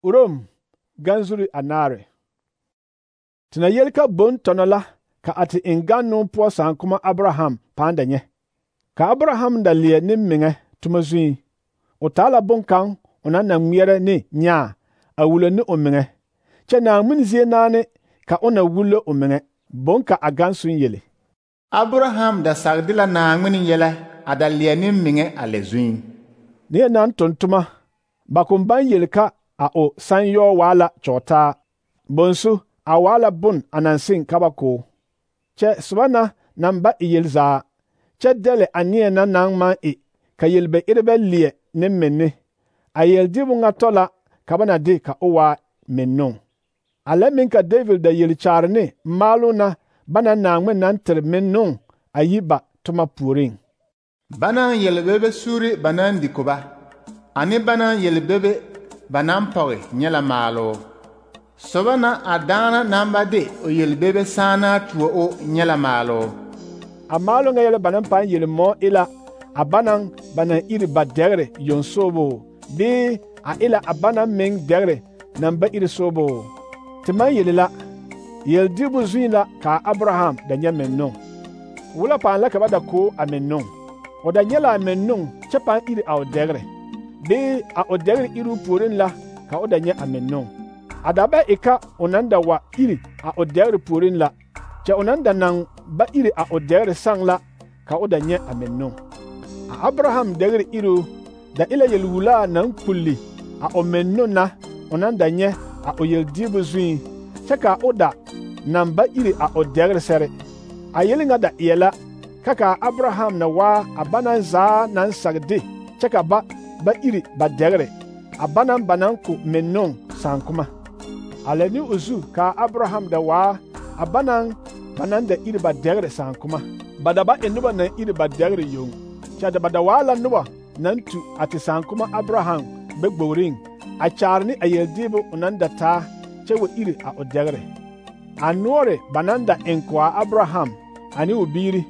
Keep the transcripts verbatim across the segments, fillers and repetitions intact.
Urom ganzuri anaare. Tina yel ka bon tono la ka ati inganu po sankuma Abraham panda nye. Ka Abraham da lie ni minge tuma zui. O tala bon kan ona na ngmiere ni nya a wule ni o minge. Che na munzie nane ka ona wule o minge. Bon ka agansu yele. Abraham da sagdila na ngmini yele ada lie ni minge ale zui. Ni nan tontuma bakumban yel ka a o sanyo wala chota. Bonsu a wala bun anansin kabako. Che swana namba iyelza. Che dele anie na nang ma i ka yelbe irebe lie ne menne. A yel dibu nga tola kabana di ka owa mennon. Ale min ka David da yel charne malu na bana nangme nan ter mennon ayiba tuma puring. Banan yelbebe suri banan dikoba. Ani banan yelbebe banan pawe nyela malo. Sobana adana namba de o yelbebe sana tuo o nyela malo. A malo nga yele banan pan yele mo ila a banan banan iri ba degre yon sobo. Di a ila a banan meng degre namba iri sobo. Timan yele la yel dibu zuin la ka Abraham da nye mennon. Wula pan la kaba da ko a mennon. O da nye la a mennon che pan iri a o degre. Di a o degre iri purin la ka o da nye a mennon. Adaba eka onanda wa iri a o degre purin la. Che onanda nang ba iri a o degre sang la ka o da nye a mennon. A Abraham degre iru da ila yel wula nang kulli a o mennon na onanda nye a o yel dibu zuin. Che ka o da nang ba iri a o degre sere. A yeli nga da yela kaka Abraham na wa a banan za nan sagdi. Che ka ba ba iri ba degre. A banan banan ku mennon sankuma. Aleni uzu ka Abraham da wa a banan banan da iri ba degre sankuma. Badaba enuba na iri ba degre yung. Cha da bada wala nuba nan tu ati sankuma Abraham be gboring. A charni a yeldibu unanda ta chewe iri a o degre. Anuore banan da enkwa Abraham ani ubiri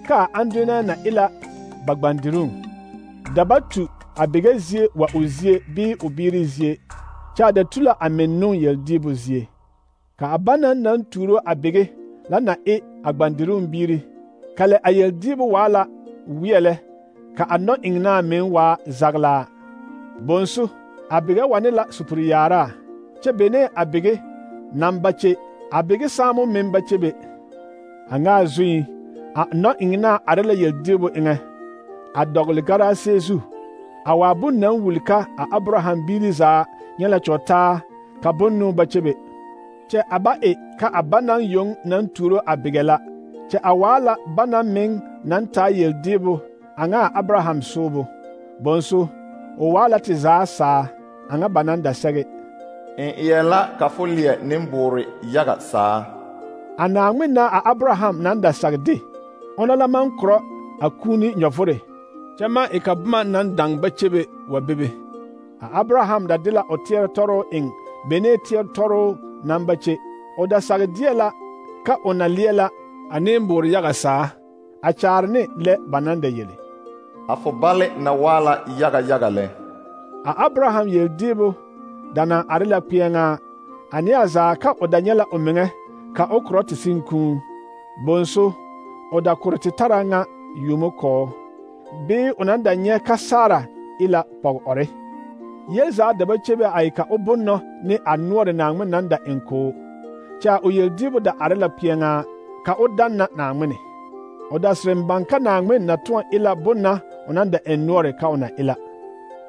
ka anduna na ila bagbandirung. Dabatu abigezie wa uzie bi ubiri zie. Cha da tula amennun yeldibu zie. Ka abanan nan turo abige la na e agbandirun biri. Kale a yeldibu wala wiyele ka anno ingna men wa zagla. Bonsu abige wanila supuriyara. Che bene abige nambache abige samu membache be. Anga zui a no ingna arela yeldibu inge. A dogli gara sezu. Awabu nan wulika a Abraham biri za nyela chota ka bonnu bachebe. Che aba e ka abanan yong nan turo abigela. Che awala banan ming nan ta yeldibu anga Abraham sobo. Bonso o wala ti za sa anga banan da sege. En iyela ka folie nimburi yaga sa. Anangmi na a Abraham nan da sagdi. Onala man kro akuni nyofure. Chama e ka buma nan dang bachebe wa bebe. A Abraham da dila o tier toro ing bene tier toro nambache o da sagdiela ka onaliela anembur yaga sa a charne le banande yele. Afo bale na wala yaga yaga le. A Abraham yel dibu dana arila pienga ani aza ka o danyela omenge ka okroti sinku bonso o da kurti taranga yumoko be onanda nye kasara ila pog ore. Yelza daba chebe aika obunno ni anuore nangme nanda enko. Cha o yel dibu da arila pienga ka o danna nangmene. O da srembanka nangme na tuan ila bunna onanda enuore ka ona ila.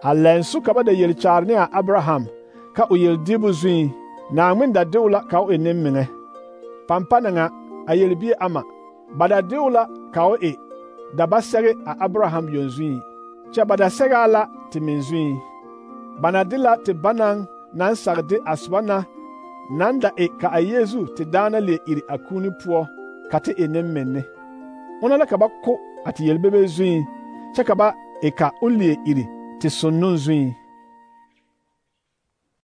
Alensu kaba da yel charne a Abraham ka o yel dibu zui nangme da deula ka o enemmenge. Pampana nga a yel bi ama bada deula ka o e daba sege a Abraham yon zui. Cha bada sega ala timin zui. Banadila ti banan nan sagde aswana nanda e ka a Yesu ti dana le iri akuni puo kati enem menne. Ona la kaba ko ati yelbebe zui. Cha kaba e ka ulie iri ti sonnun zui.